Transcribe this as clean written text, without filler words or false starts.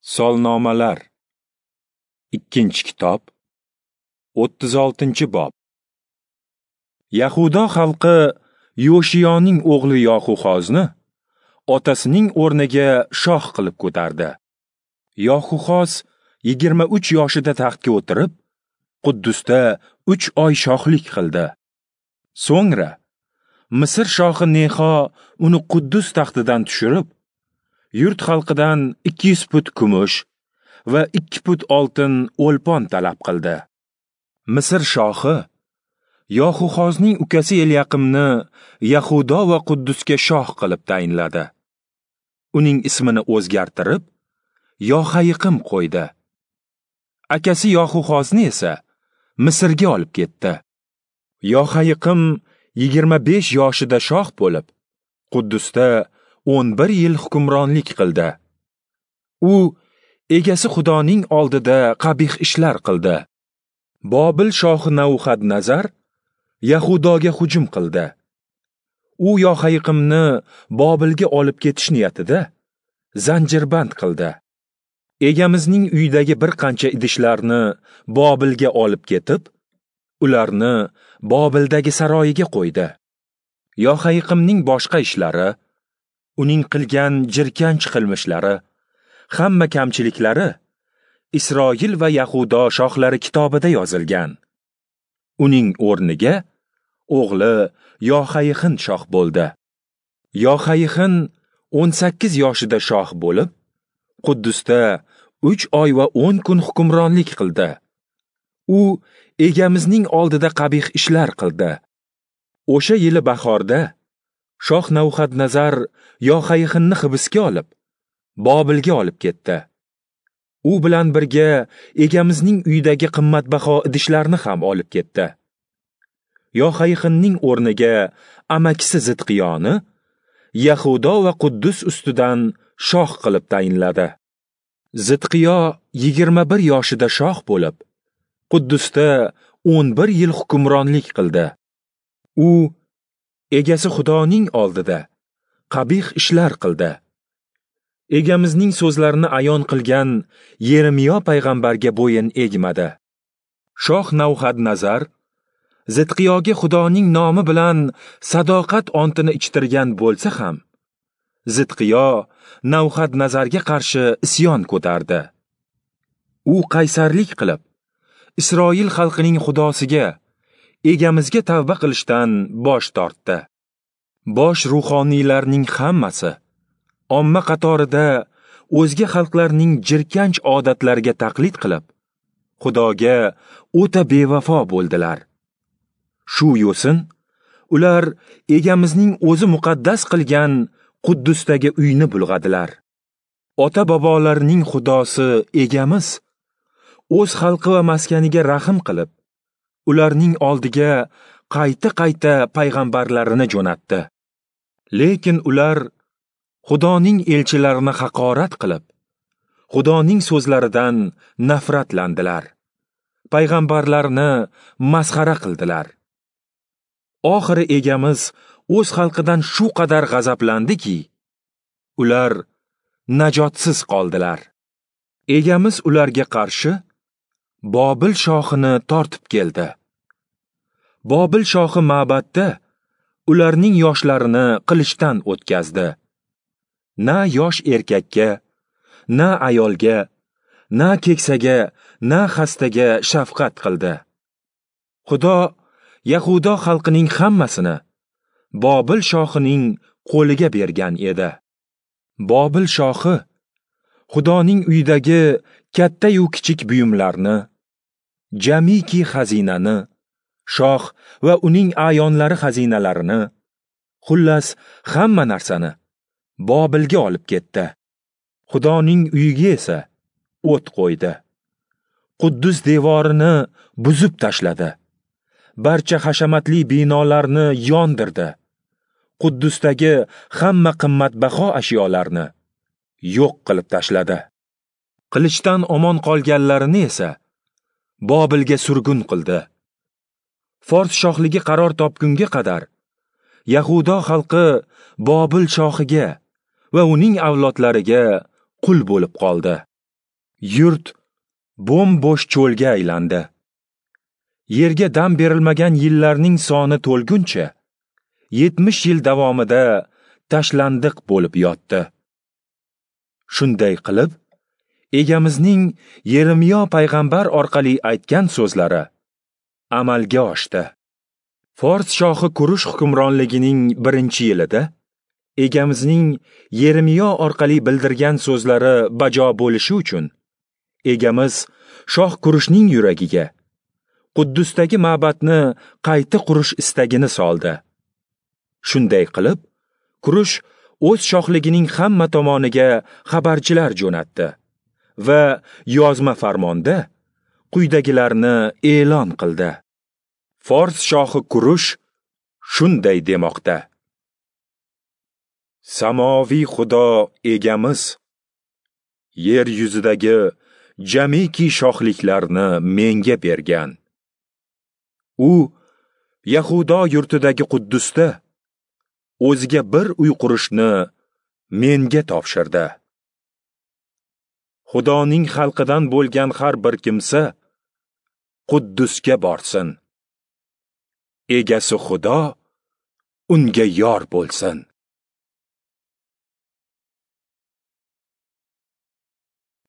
Solnomalar. 2-kitob, 36-bob. Yahudo xalqi Yoshiyoning o'g'li Yoxuxozni otasining o'rniga shoh qilib ko'tardi. Yoxuxoz 23 yoshida taxtga o'tirib, Quddusda 3 oy shohlik qildi. So'ngra Misr shohi Nexo uni Quddus taxtidan tushirib, yurt xalqidan 200 put kumush va 2 put oltin o'lpon talab qildi. Misr shohi Yoxuxozning ukasi Elyaqimni Yahudo va Quddusga shoh qilib tayinladi. Uning ismini o'zgartirib, Yohayiqim qo'ydi. Akasi Yoxuxozni esa Misrga olib ketdi. Yohayiqim 25 yoshida shoh bo'lib, Quddusda 11 yil hukmronlik qildi. U egasi Xudoning oldida qabih ishlar qildi. Bobil shohi Navuxadnazar Yahudoga hujum qildi. U Yohayiqimni Bobilga olib ketish niyatida zanjirband qildi. Egamizning uyidagi bir qancha idishlarni Bobilga olib ketib, ularni Bobildagi saroyiga qo'ydi. Yohayiqimning boshqa ishlari, uning qilgan jirkanch qilmishlari, hamma kamchiliklari Isroil va Yahudo shohlari kitobida yozilgan. Uning o'rniga o'g'li Yohayihin shoh bo'ldi. Yohayihin 18 yoshida shoh bo'lib, Quddusda 3 oy va 10 kun hukmronlik qildi. U egamizning oldida qabih ishlar qildi. O'sha yili bahorda shoh Navuxadnazar Yohayihinni hibsga olib, Bobilga olib ketdi. U bilan birga egamizning uyidagi qimmatbaho idishlarni ham olib ketdi. Yohayihinning o'rniga amakisi Zidqiyoni Yahudo va Quddus ustidan shoh qilib tayinladi. Zidqiyo 21 yoshida shoh bo'lib, Quddusda 11 yil hukmronlik qildi. U egasi Xudoning oldida qabih ishlar qildi. Egamizning so'zlarini ayon qilgan Yeremiyo payg'ambarga bo'yin egmadi. Shoh Navuxadnazar Zidqiyoga Xudoning nomi bilan sadoqat ontini ichtirgan bo'lsa ham, Zidqiyo Navuxadnazarga qarshi isyon ko'tardi. U qaysarlik qilib, Isroil xalqining Xudosiga, egamizga tavba qilishdan bosh tortdi. Bosh ruhoniylarning hammasi omma qatorida o'zga xalqlarning jirkanch odatlariga taqlid qilib, Xudoga o'ta bevafo bo'ldilar. Shu yo'sin ular egamizning o'zi muqaddas qilgan Quddusdagi uyni bulg'adilar. Ota-bobolarining Xudosi egamiz o'z xalqi va maskaniga rahm qilib, ularning oldiga qayta-qayta payg'ambarlarini jo'natdi. Lekin ular Xudoning elchilarini haqorat qilib, Xudoning so'zlaridan nafratlandilar. Payg'ambarlarni masxara qildilar. Oxiri egamiz o'z xalqidan shu qadar g'azablandiki, ular najotsiz qoldilar. Egamiz ularga qarshi Bobil shohini tortib keldi. Bobil shohi ma'batda ularning yoshlarini qilichdan o'tkazdi. Na yosh erkakka, na ayolga, na keksaga, na xastaga shafqat qildi. Xudo Yahudo xalqining hammasini Bobil shohining qo'liga bergan edi. Bobil shohi Xudoning uyidagi katta-yu kichik buyumlarni, jamiki xazinani, shoh va uning a'yonlari xazinalarini, xullas hamma narsani Bobilga olib ketdi. Xudoning uyiga esa o't qo'ydi. Quddus devorini buzib tashladi. Barcha hashamatli binolarni yondirdi. Quddusdagi hamma qimmatbaho ashyolarni yo'q qilib tashladi. Qilichdan omon qolganlarini esa Bobilga surgun qildi. Fors shohligi qaror topgunga qadar Yahudo xalqi Bobil shohiga va uning avlodlariga qul bo'lib qoldi. Yurt bo'm-bo'sh cho'lga aylandi. Yerga dam berilmagan yillarning soni to'lguncha 70 yil davomida tashlandiq bo'lib yotdi. Shunday qilib, Egamizning Yeremiyo payg'ambar orqali aytgan so'zlari amalga oshdi. Fors shohi Kurush hukmronligining 1-yilida Egamizning Yeremiyo orqali bildirgan so'zlari bajo bo'lishi uchun Egamiz shoh Kurushning yuragiga Quddusdagi ma'batni qayta qurish istagini soldi. Shunday qilib, Kurush o'z shohligining hamma tomoniga xabarchilar jo'natdi va yozma farmonda quyidagilarni e'lon qildi. Fors shohi Kurush shunday demoqda: Samoviy Xudo Egamiz yer yuzidagi jamiki shohliklarni menga bergan. U Yahudo yurtidagi Quddusda o'ziga bir uy qurishni menga topshirdi. Xudoning xalqidan bo'lgan har bir kimsa Quddusga borsin. Egasi Xudo unga yor bo'lsin.